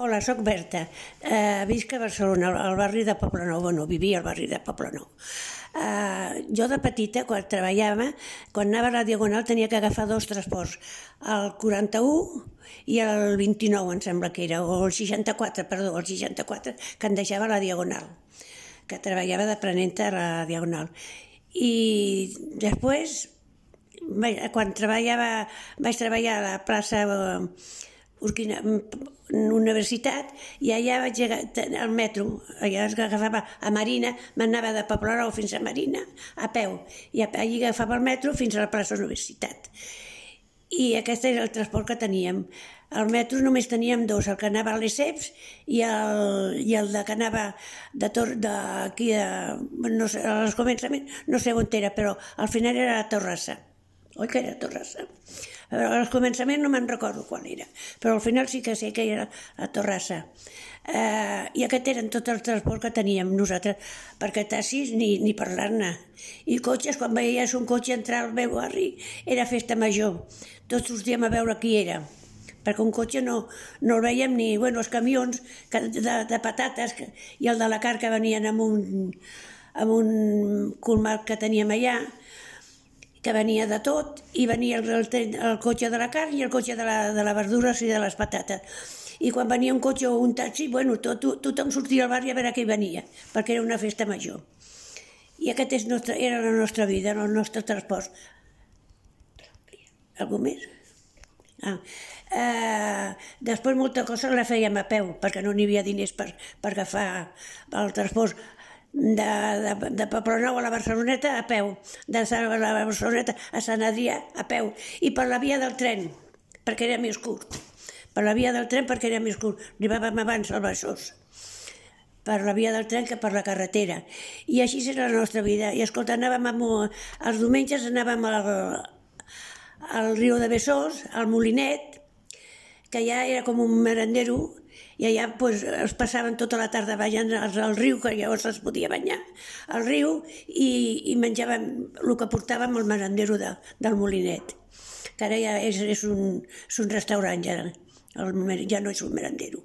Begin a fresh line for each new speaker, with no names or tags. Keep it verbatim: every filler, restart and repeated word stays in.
Hola, soc Berta. Uh, visc a Barcelona, al barri de Poblenou. Bueno, vivia al barri de Poblenou. Uh, jo de petita, quan treballava, quan anava a la Diagonal tenia que agafar dos transports, el quaranta-u i el vint-i-nou, em sembla que era, o el seixanta-quatre, perdó, el seixanta-quatre, que em deixava a la Diagonal, que treballava d'aprenenta a la Diagonal. I després, quan treballava, vaig treballar a la plaça Urquina, Universitat, i allà vaig al metro, allà es agafava a Marina, m'anava de Poblenou fins a Marina a peu, i allà agafava el metro fins a la plaça Universitat. I aquest era el transport que teníem. Al metro només teníem dos, el que anava a Lesseps i el, i el de que anava d'aquí, no sé, als començaments, no sé on era, però al final era a Torrassa. Oi que era a Torrassa? Al començament no me'n recordo quan era, però al final sí que sé que era a Torrassa. Uh, I aquest eren tots els transports que teníem nosaltres, perquè taxis ni, ni parlar-ne. I cotxes, quan veies un cotxe entrar al meu barri, era festa major. Tots sortíem a veure qui era, perquè un cotxe no, no el veiem ni... Bueno, els camions de, de patates i el de la carn que venien amb un, amb un colmat que teníem allà, que venia de tot, i venia el, el, el cotxe de la carn i el cotxe de, la, de les verdures i de les patates. I quan venia un cotxe o un taxi, bueno, tot, tothom sortia al barri a veure qui venia, perquè era una festa major. I aquest és nostre, era la nostra vida, el nostre transport. Algú més? Ah. Uh, després molta cosa la fèiem a peu, perquè no n'hi havia diners per, per agafar el transport. De, de, de Poblenou a la Barceloneta a peu, de la Barceloneta a Sant Adrià a peu, i per la via del tren, perquè era més curt. Per la via del tren perquè era més curt. Arribàvem abans al Besòs, per la via del tren que per la carretera. I així era la nostra vida. I escolta, anàvem amb, els diumenges anàvem al, al riu de Besòs, al Molinet, que ja era com un merendero, i allà pues, es passaven tota la tarda ballant al riu, que llavors es podia banyar al riu, i, i menjàvem el que portàvem al merendero de, del Molinet, que ara ja és, és, un, és un restaurant, ja, el, ja no és un merendero.